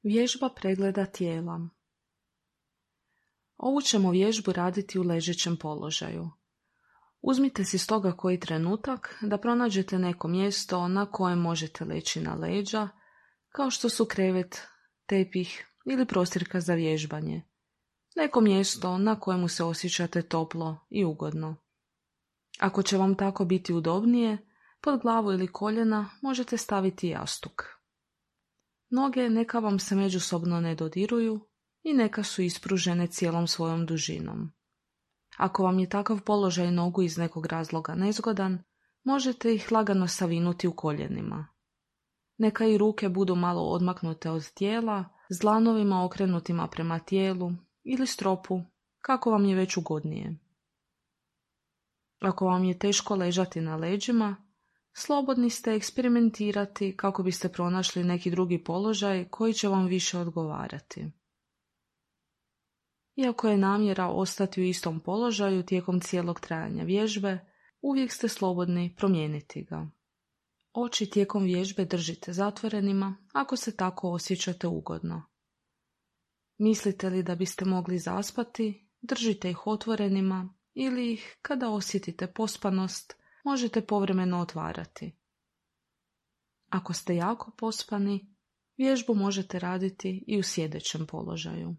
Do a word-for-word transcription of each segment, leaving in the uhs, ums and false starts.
Vježba pregleda tijela. Ovu ćemo vježbu raditi u ležećem položaju. Uzmite si stoga koji trenutak da pronađete neko mjesto na kojem možete leći na leđa, kao što su krevet, tepih ili prostirka za vježbanje. Neko mjesto na kojemu se osjećate toplo i ugodno. Ako će vam tako biti udobnije, pod glavu ili koljena možete staviti jastuk. Noge neka vam se međusobno ne dodiruju i neka su ispružene cijelom svojom dužinom. Ako vam je takav položaj nogu iz nekog razloga nezgodan, možete ih lagano savinuti u koljenima. Neka i ruke budu malo odmaknute od tijela, s dlanovima okrenutima prema tijelu ili stropu, kako vam je već ugodnije. Ako vam je teško ležati na leđima, slobodni ste eksperimentirati kako biste pronašli neki drugi položaj koji će vam više odgovarati. Iako je namjera ostati u istom položaju tijekom cijelog trajanja vježbe, uvijek ste slobodni promijeniti ga. Oči tijekom vježbe držite zatvorenima ako se tako osjećate ugodno. Mislite li da biste mogli zaspati, držite ih otvorenima ili ih, kada osjetite pospanost, možete povremeno otvarati. Ako ste jako pospani, vježbu možete raditi i u sjedećem položaju.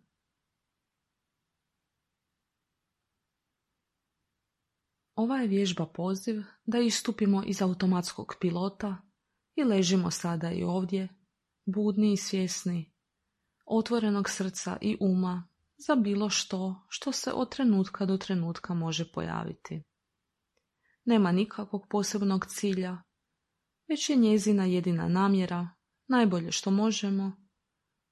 Ova je vježba poziv da istupimo iz automatskog pilota i ležimo sada i ovdje, budni i svjesni, otvorenog srca i uma za bilo što što se od trenutka do trenutka može pojaviti. Nema nikakvog posebnog cilja, već je njezina jedina namjera, najbolje što možemo,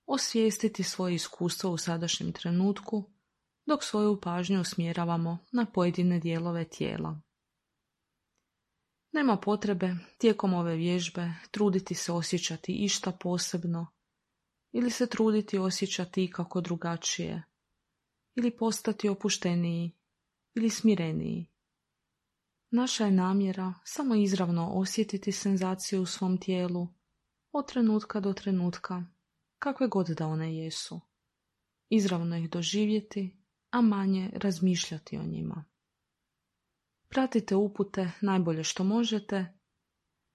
osvijestiti svoje iskustvo u sadašnjem trenutku, dok svoju pažnju usmjeravamo na pojedine dijelove tijela. Nema potrebe tijekom ove vježbe truditi se osjećati išta posebno ili se truditi osjećati ikako drugačije ili postati opušteniji ili smireniji. Naša je namjera samo izravno osjetiti senzaciju u svom tijelu od trenutka do trenutka, kakve god da one jesu. Izravno ih doživjeti, a manje razmišljati o njima. Pratite upute najbolje što možete,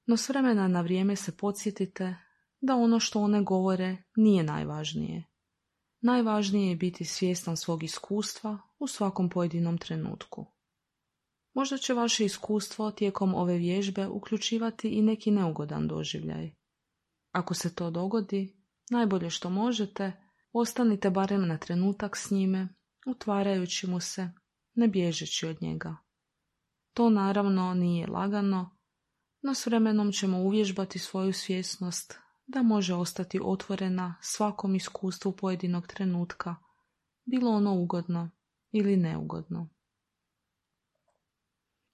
no s vremena na vrijeme se podsjetite da ono što one govore nije najvažnije. Najvažnije je biti svjestan svog iskustva u svakom pojedinom trenutku. Možda će vaše iskustvo tijekom ove vježbe uključivati i neki neugodan doživljaj. Ako se to dogodi, najbolje što možete, ostanite barem na trenutak s njime, utvarajući mu se, ne bježeći od njega. To naravno nije lagano, no s vremenom ćemo uvježbati svoju svjesnost da može ostati otvorena svakom iskustvu pojedinog trenutka, bilo ono ugodno ili neugodno.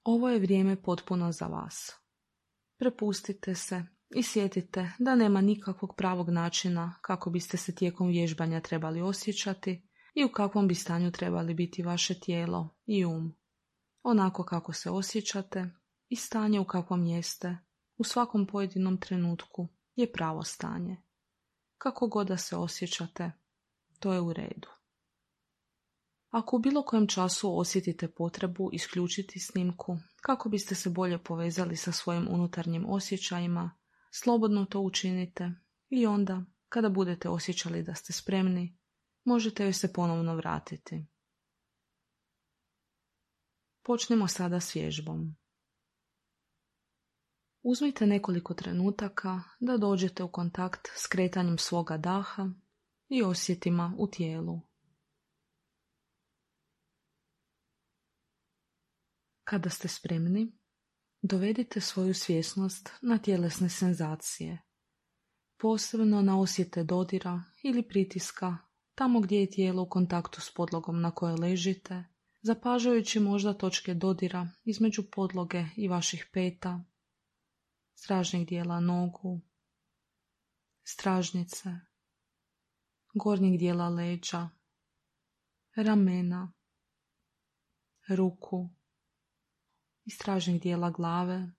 Ovo je vrijeme potpuno za vas. Prepustite se i sjetite da nema nikakvog pravog načina kako biste se tijekom vježbanja trebali osjećati i u kakvom bi stanju trebali biti vaše tijelo i um. Onako kako se osjećate i stanje u kakvom jeste u svakom pojedinom trenutku je pravo stanje. Kako god da se osjećate, to je u redu. Ako u bilo kojem času osjetite potrebu isključiti snimku kako biste se bolje povezali sa svojim unutarnjim osjećajima, slobodno to učinite i onda, kada budete osjećali da ste spremni, možete joj se ponovno vratiti. Počnemo sada s vježbom. Uzmite nekoliko trenutaka da dođete u kontakt s kretanjem svoga daha i osjetima u tijelu. Kada ste spremni, dovedite svoju svjesnost na tjelesne senzacije, posebno na osjete dodira ili pritiska tamo gdje je tijelo u kontaktu s podlogom na kojoj ležite, zapažajući možda točke dodira između podloge i vaših peta, stražnjeg dijela nogu, stražnice, gornjeg dijela leđa, ramena, ruku i stražnjeg dijela glave,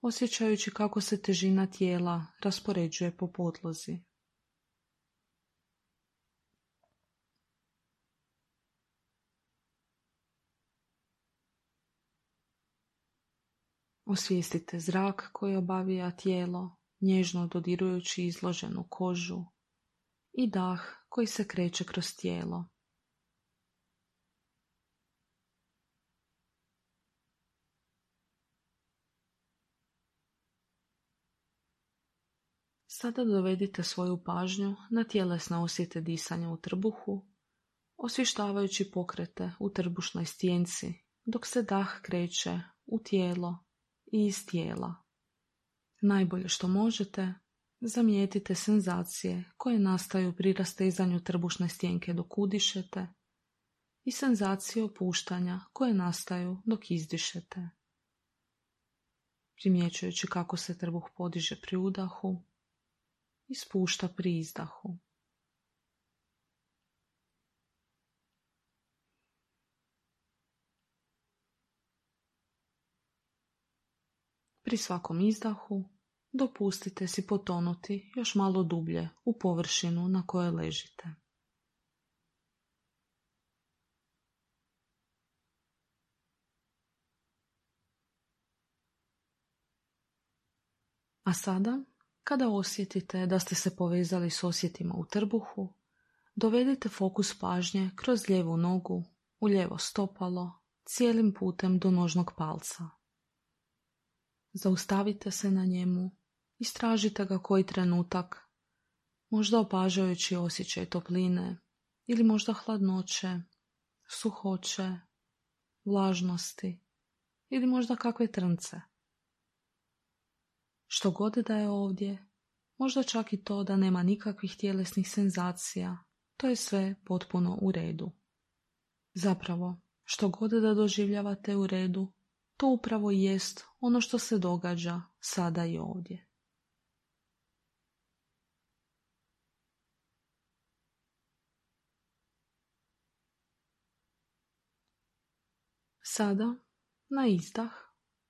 osjećajući kako se težina tijela raspoređuje po podlozi. Osvijestite zrak koji obavija tijelo, nježno dodirujući izloženu kožu, i dah koji se kreće kroz tijelo. Sada dovedite svoju pažnju na tjelesne osjete disanja u trbuhu, osvještavajući pokrete u trbušnoj stijenci, dok se dah kreće u tijelo i iz tijela. Najbolje što možete, zamijetite senzacije koje nastaju pri rastezanju trbušne stijenke dok udišete i senzacije opuštanja koje nastaju dok izdišete. Primjećujući kako se trbuh podiže pri udahu i spušta pri izdahu. Pri svakom izdahu dopustite si potonuti još malo dublje u površinu na kojoj ležite. A sada, kada osjetite da ste se povezali s osjetima u trbuhu, dovedite fokus pažnje kroz lijevu nogu, u lijevo stopalo, cijelim putem do nožnog palca. Zaustavite se na njemu, istražite ga koji trenutak, možda opažajući osjećaj topline ili možda hladnoće, suhoće, vlažnosti ili možda kakve trnce. Što god da je ovdje, možda čak i to da nema nikakvih tjelesnih senzacija, to je sve potpuno u redu. Zapravo, što god da doživljavate u redu, to upravo jest ono što se događa sada i ovdje. Sada, na izdah,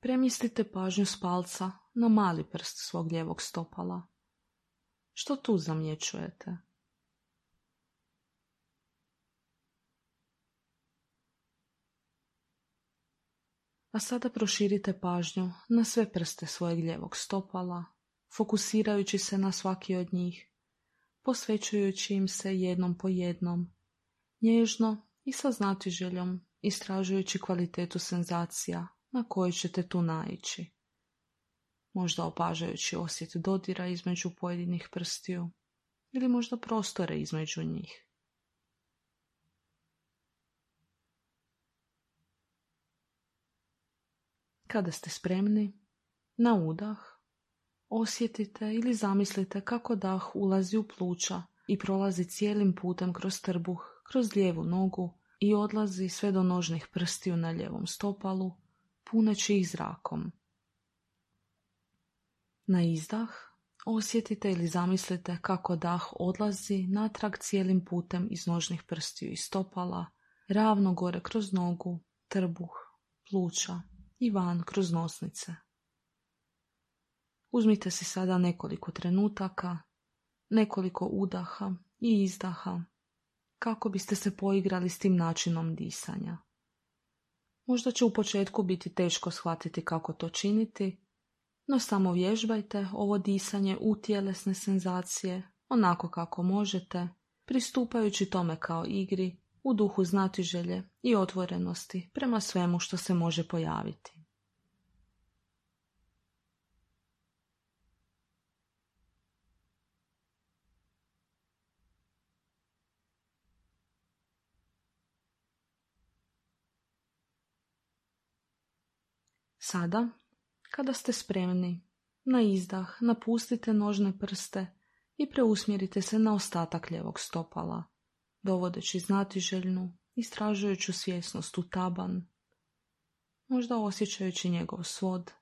premjestite pažnju s palca na mali prst svog lijevog stopala. Što tu zamjećujete? A sada proširite pažnju na sve prste svojeg lijevog stopala, fokusirajući se na svaki od njih, posvećujući im se jednom po jednom, nježno i sa znatiželjom istražujući kvalitetu senzacija na koje ćete tu naići. Možda opažajući osjet dodira između pojedinih prstiju ili možda prostore između njih. Kada ste spremni, na udah osjetite ili zamislite kako dah ulazi u pluća i prolazi cijelim putem kroz trbuh, kroz lijevu nogu i odlazi sve do nožnih prstiju na lijevom stopalu, puneći ih zrakom. Na izdah osjetite ili zamislite kako dah odlazi natrag cijelim putem iz nožnih prstiju i stopala, ravno gore kroz nogu, trbuh, pluća i van kroz nosnice. Uzmite si sada nekoliko trenutaka, nekoliko udaha i izdaha, kako biste se poigrali s tim načinom disanja. Možda će u početku biti teško shvatiti kako to činiti, no samo vježbajte ovo disanje u tjelesne senzacije, onako kako možete, pristupajući tome kao igri, u duhu znatiželje i otvorenosti prema svemu što se može pojaviti. Sada, kada ste spremni, na izdah napustite nožne prste i preusmjerite se na ostatak lijevog stopala, dovodeći znatiželjnu, istražujuću svjesnost u taban, možda osjećajući njegov svod,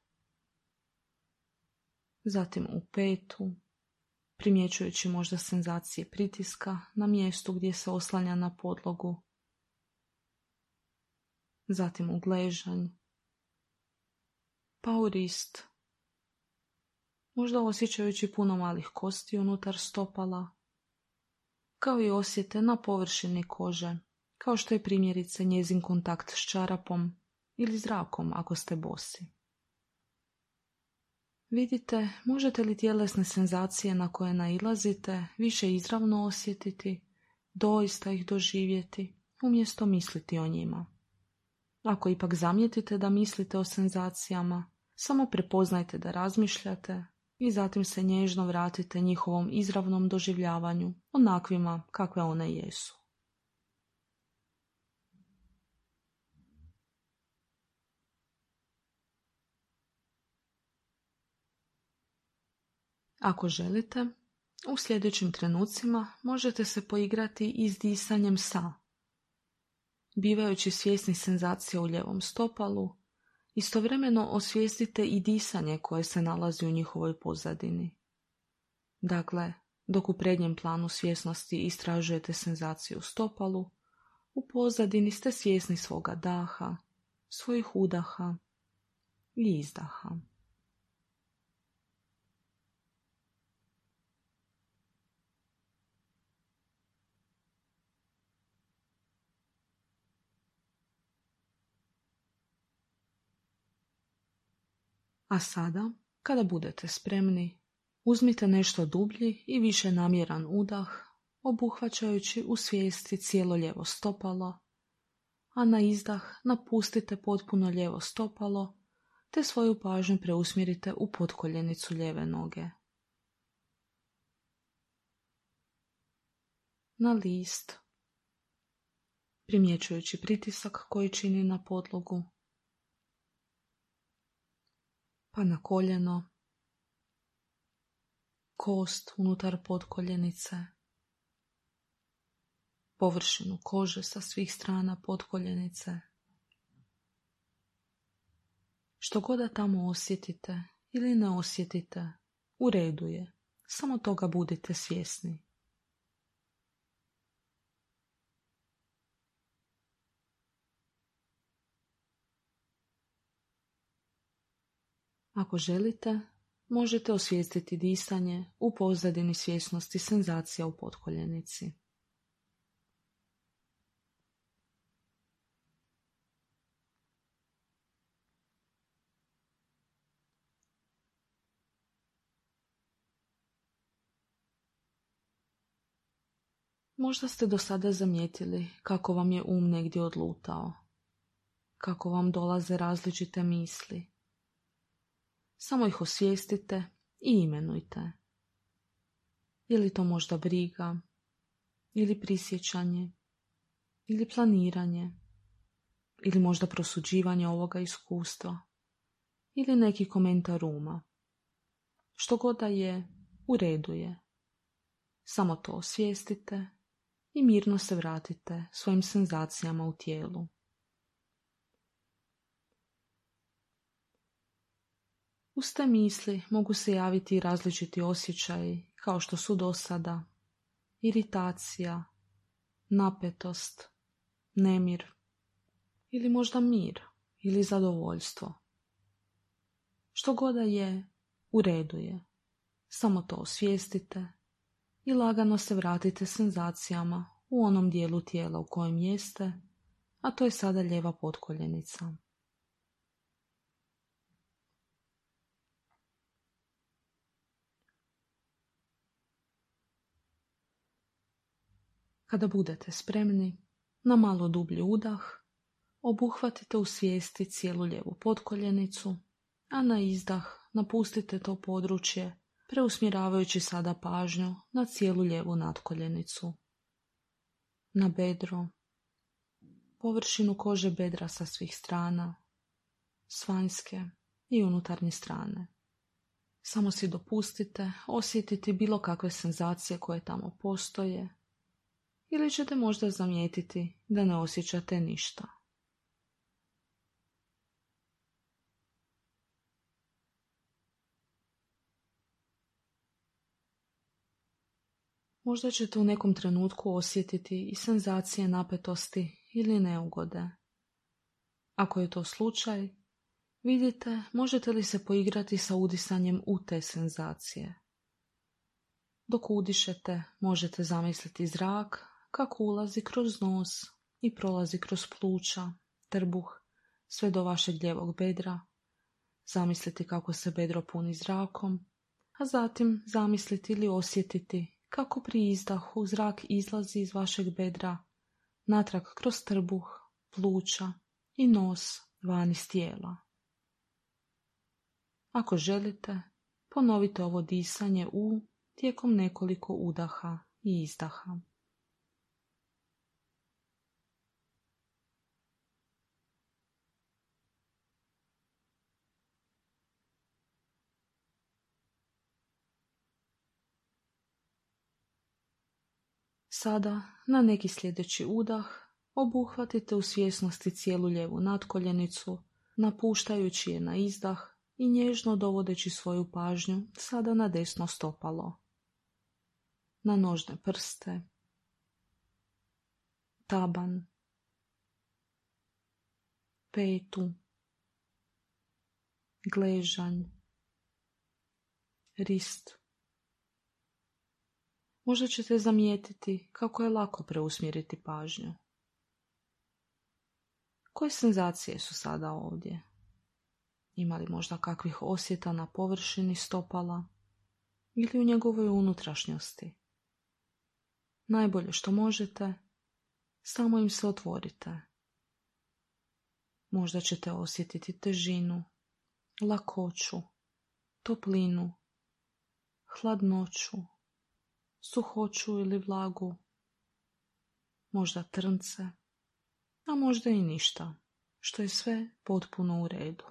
zatim u petu, primjećujući možda senzacije pritiska na mjestu gdje se oslanja na podlogu, zatim u gležanj, pa u rist, možda osjećajući puno malih kosti unutar stopala, kao i osjete na površini kože, kao što je primjerice njezin kontakt s čarapom ili zrakom ako ste bosi. Vidite, možete li tjelesne senzacije na koje nailazite više izravno osjetiti, doista ih doživjeti, umjesto misliti o njima. Ako ipak zamijetite da mislite o senzacijama, samo prepoznajte da razmišljate i zatim se nježno vratite njihovom izravnom doživljavanju, onakvima kakve one jesu. Ako želite, u sljedećim trenucima možete se poigrati i s disanjem sa, bivajući svjesni senzacija u ljevom stopalu, istovremeno osvijestite i disanje koje se nalazi u njihovoj pozadini. Dakle, dok u prednjem planu svjesnosti istražujete senzaciju u stopalu, u pozadini ste svjesni svoga daha, svojih udaha i izdaha. A sada, kada budete spremni, uzmite nešto dublji i više namjeran udah, obuhvaćajući u svijesti cijelo lijevo stopalo, a na izdah napustite potpuno lijevo stopalo, te svoju pažnju preusmjerite u potkoljenicu lijeve noge. Na list, primjećujući pritisak koji čini na podlogu, pa na koljeno, kost unutar potkoljenice, površinu kože sa svih strana potkoljenice. Što god da tamo osjetite ili ne osjetite, u redu je, samo toga budite svjesni. Ako želite, možete osvijestiti disanje u pozadini svjesnosti senzacija u potkoljenici. Možda ste do sada zamijetili kako vam je um negdje odlutao, kako vam dolaze različite misli. Samo ih osvijestite i imenujte. Je li to možda briga, ili prisjećanje, ili planiranje, ili možda prosuđivanje ovoga iskustva, ili neki komentar uma. Što god da je, u redu je. Samo to osvijestite i mirno se vratite svojim senzacijama u tijelu. Uz te misli mogu se javiti različiti osjećaji kao što su dosada, iritacija, napetost, nemir ili možda mir ili zadovoljstvo. Što god da je, u redu je. Samo to osvijestite i lagano se vratite senzacijama u onom dijelu tijela u kojem jeste, a to je sada lijeva potkoljenica. Kada budete spremni, na malo dublji udah, obuhvatite u svijesti cijelu lijevu potkoljenicu, a na izdah napustite to područje, preusmjeravajući sada pažnju na cijelu lijevu natkoljenicu, na bedro, površinu kože bedra sa svih strana, s vanjske i unutarnje strane. Samo si dopustite osjetiti bilo kakve senzacije koje tamo postoje, ili ćete možda zamijetiti da ne osjećate ništa. Možda ćete u nekom trenutku osjetiti i senzacije napetosti ili neugode. Ako je to slučaj, vidite možete li se poigrati sa udisanjem u te senzacije. Dok udišete, možete zamisliti zrak kako ulazi kroz nos i prolazi kroz pluća, trbuh, sve do vašeg lijevog bedra, zamisliti kako se bedro puni zrakom, a zatim zamisliti ili osjetiti kako pri izdahu zrak izlazi iz vašeg bedra, natrag kroz trbuh, pluća i nos van iz tijela. Ako želite, ponovite ovo disanje u tijekom nekoliko udaha i izdaha. Sada, na neki sljedeći udah, obuhvatite u svjesnosti cijelu lijevu natkoljenicu, napuštajući je na izdah i nježno dovodeći svoju pažnju sada na desno stopalo, na nožne prste, taban, petu, gležanj, rist. Možda ćete zamijetiti kako je lako preusmjeriti pažnju. Koje senzacije su sada ovdje? Ima li možda kakvih osjeta na površini stopala ili u njegovoj unutrašnjosti? Najbolje što možete, samo im se otvorite. Možda ćete osjetiti težinu, lakoću, toplinu, hladnoću, suhoću ili vlagu, možda trnce, a možda i ništa, što je sve potpuno u redu.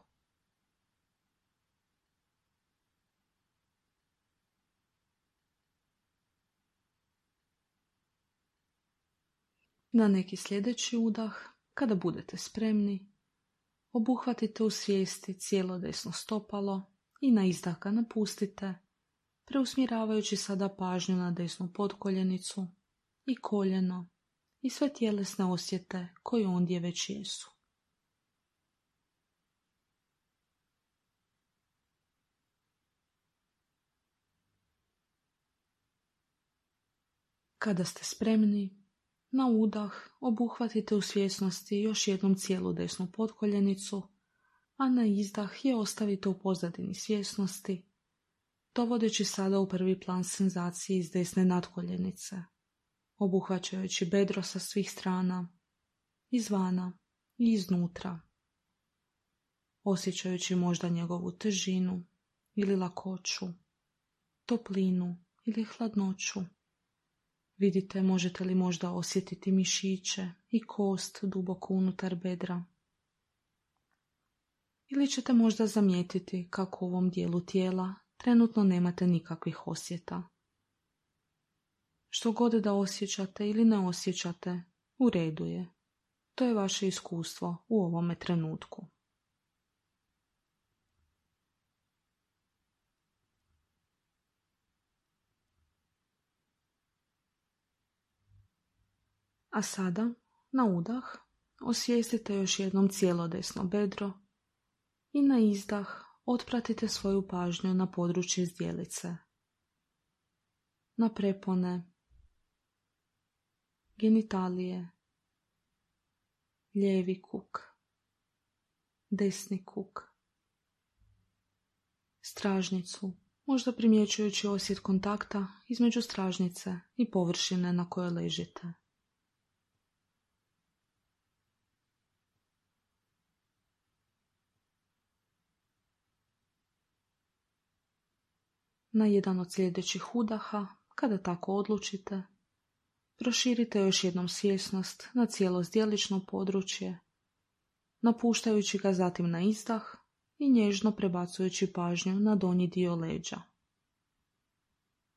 Na neki sljedeći udah, kada budete spremni, obuhvatite u svijesti cijelo desno stopalo i na izdah ga napustite, preusmjeravajući sada pažnju na desnu potkoljenicu i koljeno i sve tjelesne osjete koje ondje već jesu. Kada ste spremni, na udah obuhvatite u svjesnosti još jednom cijelu desnu potkoljenicu, a na izdah je ostavite u pozadini svjesnosti, dovodeći sada u prvi plan senzacije iz desne natkoljenice, obuhvaćajući bedro sa svih strana, izvana i iznutra, osjećajući možda njegovu težinu ili lakoću, toplinu ili hladnoću. Vidite, možete li možda osjetiti mišiće i kost duboko unutar bedra. Ili ćete možda zamijetiti kako u ovom dijelu tijela trenutno nemate nikakvih osjeta. Što god da osjećate ili ne osjećate, u redu je. To je vaše iskustvo u ovome trenutku. A sada, na udah, osvijestite još jednom cijelo desno bedro i na izdah otpratite svoju pažnju na područje zdjelice, na prepone, genitalije, lijevi kuk, desni kuk, stražnicu, možda primjećujući osjet kontakta između stražnice i površine na kojoj ležite. Na jedan od sljedećih udaha, kada tako odlučite, proširite još jednom svjesnost na cijelo zdjelično područje, napuštajući ga zatim na izdah i nježno prebacujući pažnju na donji dio leđa.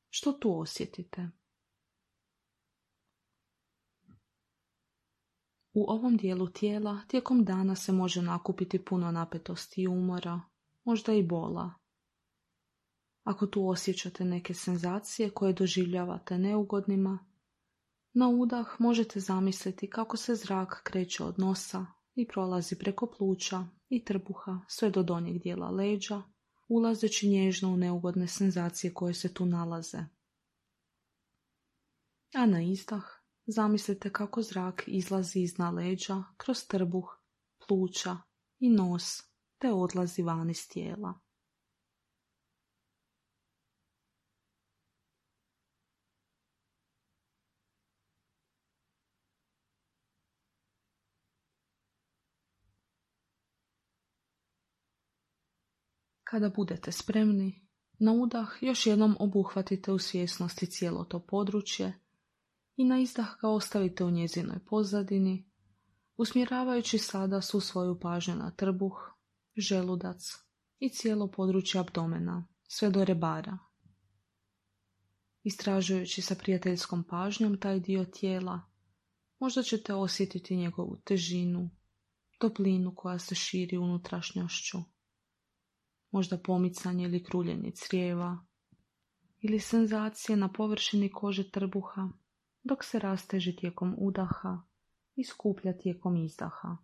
Što tu osjetite? U ovom dijelu tijela tijekom dana se može nakupiti puno napetosti i umora, možda i bola. Ako tu osjećate neke senzacije koje doživljavate neugodnima, na udah možete zamisliti kako se zrak kreće od nosa i prolazi preko pluća i trbuha sve do donjeg dijela leđa, ulazeći nježno u neugodne senzacije koje se tu nalaze. A na izdah zamislite kako zrak izlazi iznad leđa kroz trbuh, pluća i nos te odlazi van iz tijela. Kada budete spremni, na udah još jednom obuhvatite u svjesnosti cijelo to područje i na izdah ga ostavite u njezinoj pozadini, usmjeravajući sada svu svoju pažnju na trbuh, želudac i cijelo područje abdomena, sve do rebara. Istražujući sa prijateljskom pažnjom taj dio tijela, možda ćete osjetiti njegovu težinu, toplinu koja se širi unutrašnjošću, možda pomicanje ili kruljenje crijeva, ili senzacije na površini kože trbuha, dok se rasteže tijekom udaha i skuplja tijekom izdaha.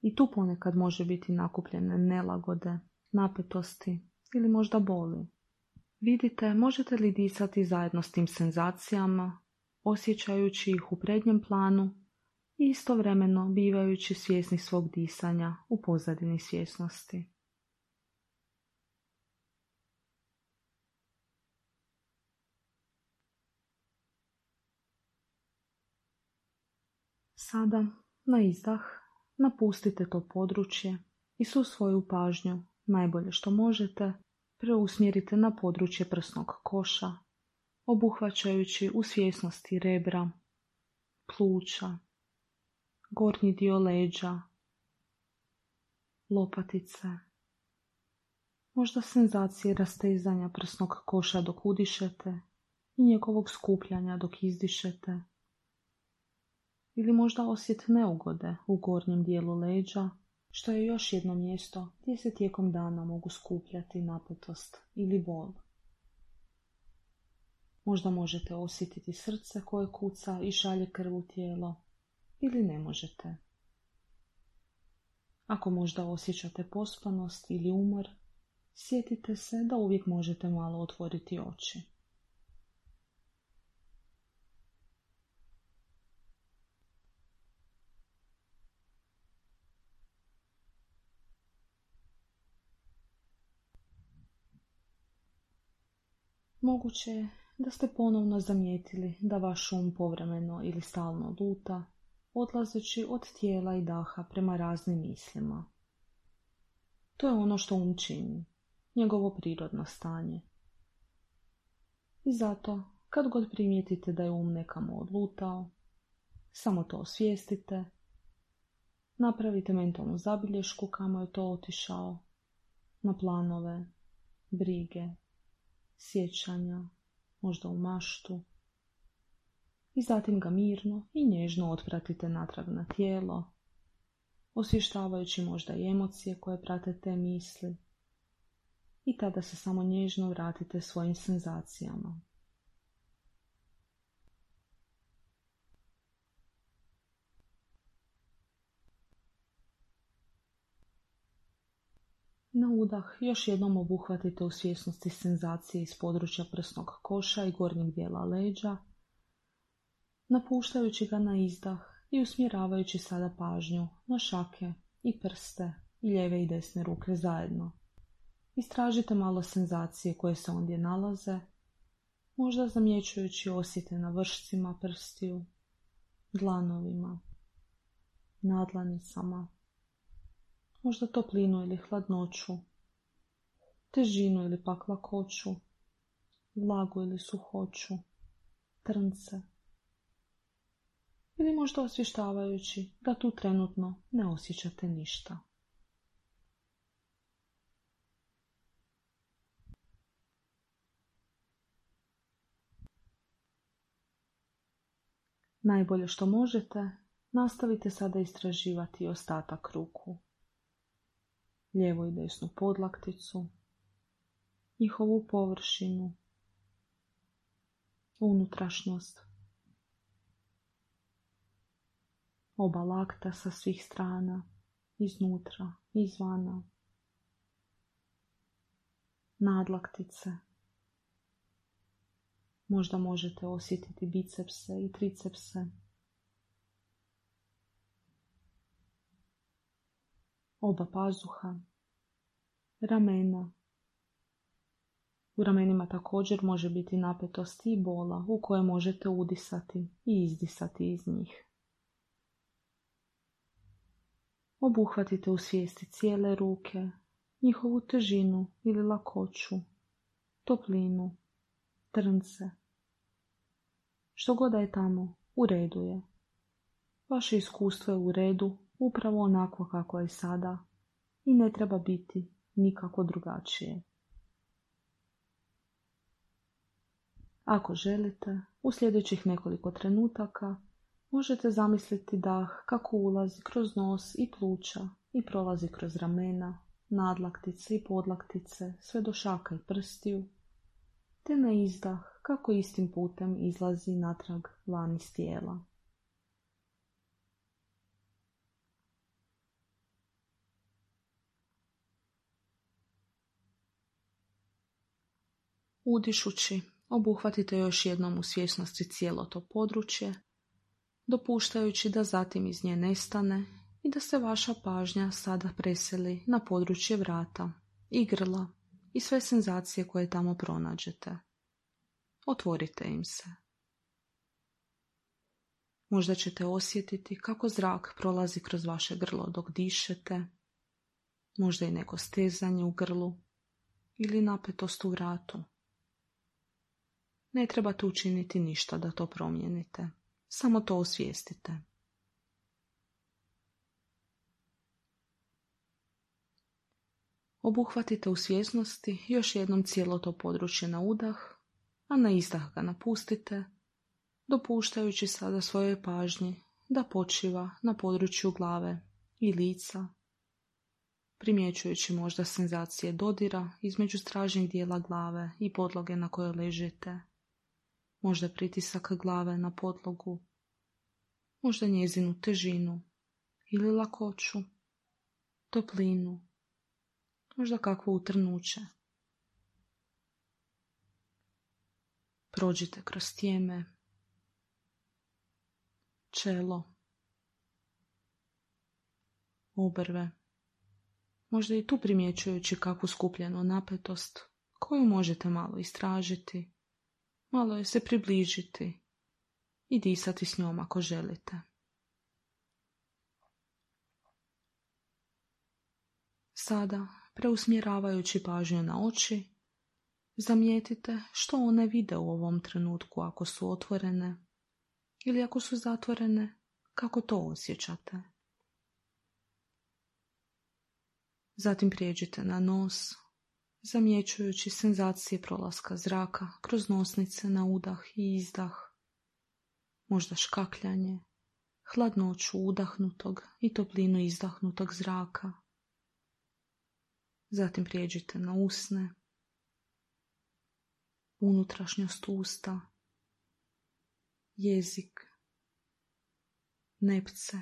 I tu ponekad može biti nakupljene nelagode, napetosti ili možda boli. Vidite, možete li disati zajedno s tim senzacijama, osjećajući ih u prednjem planu i istovremeno bivajući svjesni svog disanja u pozadini svjesnosti. Sada, na izdah, napustite to područje i svu svoju pažnju, najbolje što možete, preusmjerite na područje prsnog koša, obuhvaćajući u svjesnosti rebra, pluća, gornji dio leđa, lopatice, možda senzacije rastezanja prsnog koša dok udišete i njegovog skupljanja dok izdišete, ili možda osjet neugode u gornjem dijelu leđa, što je još jedno mjesto gdje se tijekom dana mogu skupljati napetost ili bol. Možda možete osjetiti srce koje kuca i šalje krv u tijelo, ili ne možete. Ako možda osjećate pospanost ili umor, sjetite se da uvijek možete malo otvoriti oči. Moguće je da ste ponovno zamijetili da vaš um povremeno ili stalno luta, odlazeći od tijela i daha prema raznim mislima. To je ono što um čini, njegovo prirodno stanje. I zato, kad god primijetite da je um nekamo odlutao, samo to osvijestite, napravite mentalnu zabilješku kamo je to otišao, na planove, brige, sjećanja, možda u maštu, i zatim ga mirno i nježno otpratite natrag na tijelo, osvještavajući možda i emocije koje prate te misli, i tada se samo nježno vratite svojim senzacijama. Na udah još jednom obuhvatite u svjesnosti senzacije iz područja prsnog koša i gornjeg dijela leđa, napuštajući ga na izdah i usmjeravajući sada pažnju na šake i prste i lijeve i desne ruke zajedno. Istražite malo senzacije koje se ondje nalaze, možda zamjećujući osjete na vršcima prstiju, dlanovima, nadlanicama, možda toplinu ili hladnoću, težinu ili pak lakoću, vlagu ili suhoću, trnce, ili možda osvještavajući da tu trenutno ne osjećate ništa. Najbolje što možete, nastavite sada istraživati ostatak ruku, lijevu i desnu podlakticu, njihovu površinu, unutrašnjost, oba lakta sa svih strana, iznutra, izvana, nadlaktice. Možda možete osjetiti bicepse i tricepse. oba pazuha, ramena. U ramenima također može biti napetost i bola u koje možete udisati i izdisati iz njih. Obuhvatite u svijesti cijele ruke, njihovu težinu ili lakoću, toplinu, trnce. Što god da je tamo, u redu je. Vaše iskustvo je u redu, upravo onako kako je sada i ne treba biti nikako drugačije. Ako želite, u sljedećih nekoliko trenutaka možete zamisliti dah kako ulazi kroz nos i pluća i prolazi kroz ramena, nadlaktice i podlaktice sve do šaka i prstiju, te na izdah kako istim putem izlazi natrag van iz tijela. Udišući, obuhvatite još jednom u svjesnosti cijelo to područje, dopuštajući da zatim iz nje nestane i da se vaša pažnja sada preseli na područje vrata i grla i sve senzacije koje tamo pronađete. Otvorite im se. Možda ćete osjetiti kako zrak prolazi kroz vaše grlo dok dišete, možda i neko stezanje u grlu ili napetost u vratu. Ne trebate učiniti ništa da to promijenite, samo to osvijestite. Obuhvatite u svjesnosti još jednom cijelo to područje na udah, a na izdah ga napustite, dopuštajući sada svojoj pažnji da počiva na području glave i lica, primjećujući možda senzacije dodira između stražnjeg dijela glave i podloge na kojoj ležite, možda pritisak glave na podlogu, možda njezinu težinu ili lakoću, toplinu, možda kakvo utrnuće. Prođite kroz tijeme, čelo, obrve, možda i tu primjećujući kakvu skupljenu napetost koju možete malo istražiti, malo je se približiti i disati s njom ako želite. Sada, preusmjeravajući pažnju na oči, zamijetite što one vide u ovom trenutku ako su otvorene ili ako su zatvorene, kako to osjećate. Zatim prijeđite na nos, zamjećujući senzacije prolaska zraka kroz nosnice na udah i izdah, možda škakljanje, hladnoću udahnutog i toplinu izdahnutog zraka. Zatim prijeđite na usne, unutrašnjost usta, jezik, nepce,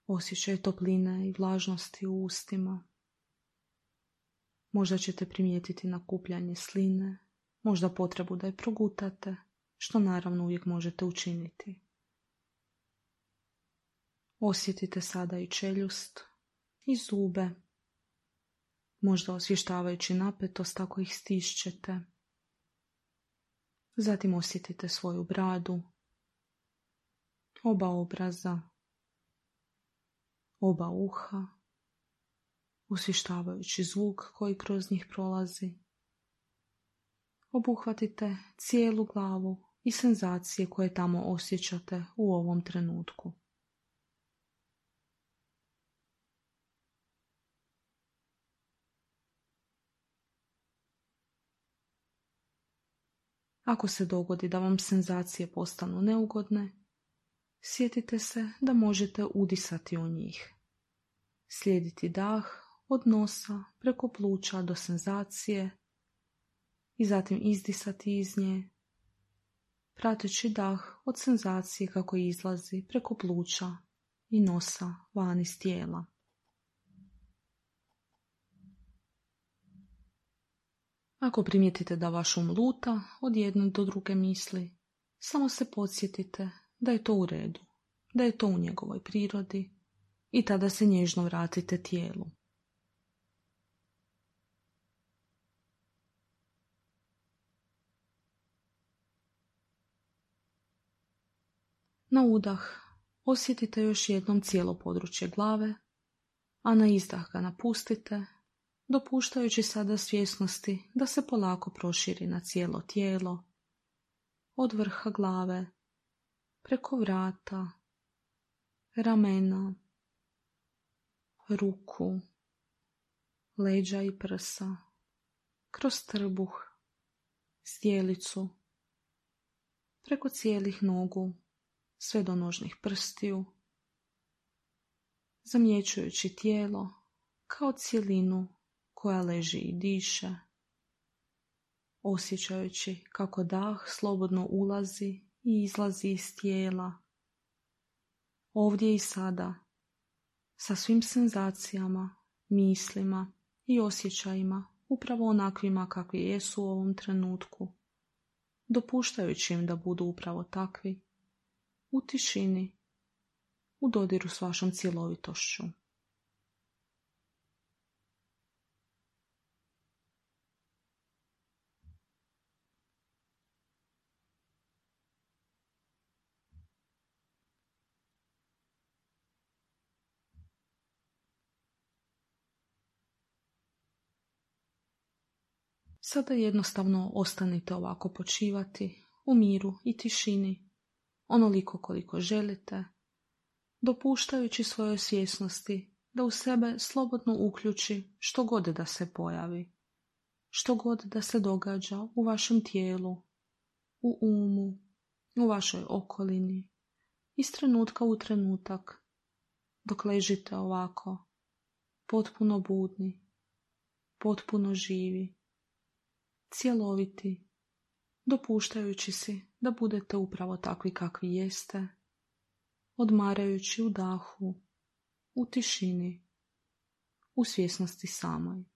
osjećaj topline i vlažnosti u ustima. Možda ćete primijetiti nakupljanje sline, možda potrebu da je progutate, što naravno uvijek možete učiniti. Osjetite sada i čeljust i zube, možda osvještavajući napetost ako ih stišćete. Zatim osjetite svoju bradu, oba obraza, oba uha, osvještavajući zvuk koji kroz njih prolazi. Obuhvatite cijelu glavu i senzacije koje tamo osjećate u ovom trenutku. Ako se dogodi da vam senzacije postanu neugodne, sjetite se da možete udisati u njih. Slijediti dah od nosa preko pluća do senzacije i zatim izdisati iz nje, prateći dah od senzacije kako izlazi preko pluća i nosa van iz tijela. Ako primijetite da vaš um luta od jedne do druge misli, samo se podsjetite da je to u redu, da je to u njegovoj prirodi i tada se nježno vratite tijelu. Na udah osjetite još jednom cijelo područje glave, a na izdah ga napustite, dopuštajući sada svjesnosti da se polako proširi na cijelo tijelo, od vrha glave, preko vrata, ramena, ruku, leđa i prsa, kroz trbuh, zdjelicu, preko cijelih nogu, sve do nožnih prstiju, zamjećujući tijelo kao cjelinu koja leži i diše, osjećajući kako dah slobodno ulazi i izlazi iz tijela, ovdje i sada, sa svim senzacijama, mislima i osjećajima, upravo onakvima kakvi jesu u ovom trenutku, dopuštajući im da budu upravo takvi, u tišini, u dodiru s vašom cjelovitošću. Sada jednostavno ostanite ovako počivati, u miru i tišini, onoliko koliko želite, dopuštajući svojoj svjesnosti da u sebe slobodno uključi što god da se pojavi, što god da se događa u vašem tijelu, u umu, u vašoj okolini, iz trenutka u trenutak, dok ležite ovako, potpuno budni, potpuno živi, cjeloviti, dopuštajući si da budete upravo takvi kakvi jeste, odmarajući u dahu, u tišini, u svjesnosti samoj.